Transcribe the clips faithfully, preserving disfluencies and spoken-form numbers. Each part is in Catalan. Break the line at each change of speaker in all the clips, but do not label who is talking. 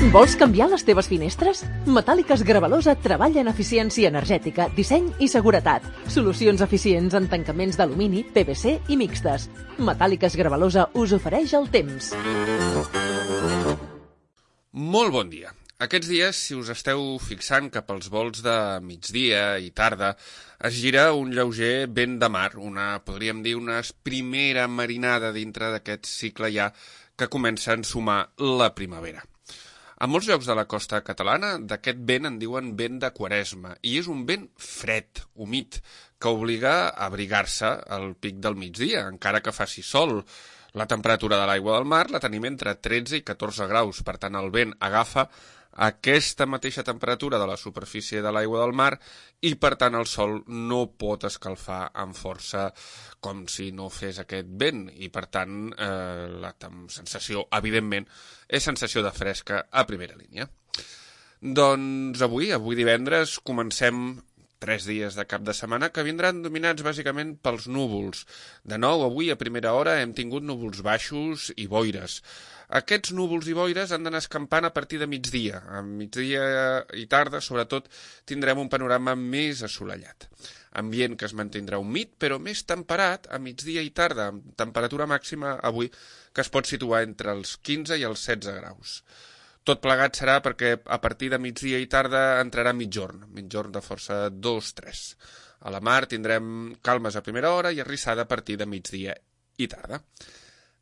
Vols canviar les teves finestres? Metàl·liques Gravalosa treballa en eficiència energètica, disseny i seguretat. Solucions eficients en tancaments d'alumini, P V C i mixtes. Metàl·liques Gravalosa us ofereix el temps.
Molt bon dia. Aquests dies, si us esteu fixant cap als vols de migdia i tarda, es gira un lleuger vent de mar, una, podríem dir, una primera marinada dintre d'aquest cicle ja que comença a ensumar la primavera. A molts llocs de la costa catalana d'aquest vent en diuen vent de Quaresma i és un vent fred, humit, que obliga a abrigar-se al pic del migdia, encara que faci sol. La temperatura de l'aigua del mar la tenim entre tretze i catorze graus, per tant el vent agafa aquesta mateixa temperatura de la superfície de l'aigua del mar i per tant el sol no pot escalfar amb força com si no fes aquest vent i per tant eh, la sensació, evidentment, és sensació de fresca a primera línia. Doncs avui, avui divendres, comencem tres dies de cap de setmana que vindran dominats bàsicament pels núvols. De nou, avui a primera hora hem tingut núvols baixos i boires. Aquests núvols i boires han d'anar escampant a partir de migdia. A migdia i tarda, sobretot, tindrem un panorama més assolellat. Ambient que es mantindrà humit, però més temperat a migdia i tarda, amb temperatura màxima avui que es pot situar entre els quinze i els setze graus. Tot plegat serà perquè a partir de migdia i tarda entrarà mitjorn, mitjorn de força dos tres. A la mar tindrem calmes a primera hora i arrissada a partir de migdia i tarda.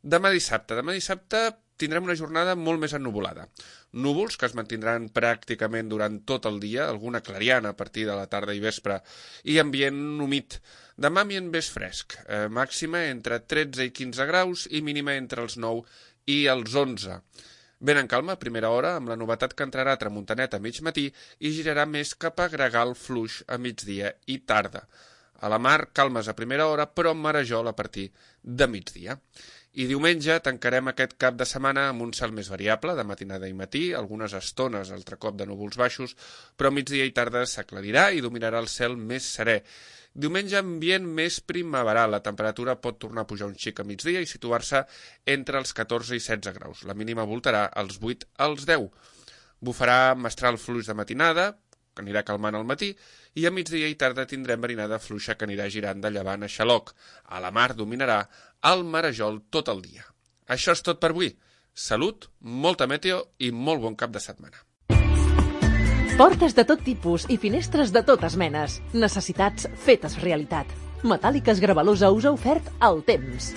Demà dissabte. Demà dissabte tindrem una jornada molt més ennuvolada. Núvols que es mantindran pràcticament durant tot el dia, alguna clariana a partir de la tarda i vespre, i ambient humit. Demà ambient més fresc, eh, màxima entre tretze i quinze graus i mínima entre els nou i els onze. Ben en calma a primera hora, amb la novetat que entrarà a tramuntanet a mig matí i girarà més cap a gregal fluix a migdia i tarda. A la mar, calmes a primera hora, però amb marejol a partir de migdia. I diumenge tancarem aquest cap de setmana amb un cel més variable, de matinada i matí, algunes estones, altre cop de núvols baixos, però migdia i tarda s'aclarirà i dominarà el cel més serè. Diumenge ambient més primaveral, la temperatura pot tornar a pujar un xic a migdia i situar-se entre els catorze i setze graus. La mínima voltarà als vuit als deu. Bufarà mestral fluix de matinada, que anirà calmant al matí, i a migdia i tarda tindrem marinada fluixa que anirà girant de llevant a xaloc. A la mar dominarà el marejol tot el dia. Això és tot per avui. Salut, molta meteo i molt bon cap de setmana.
Portes de tot tipus i finestres de totes menes. Necessitats fetes realitat. Metàl·liques Gravalosa us ha ofert el temps.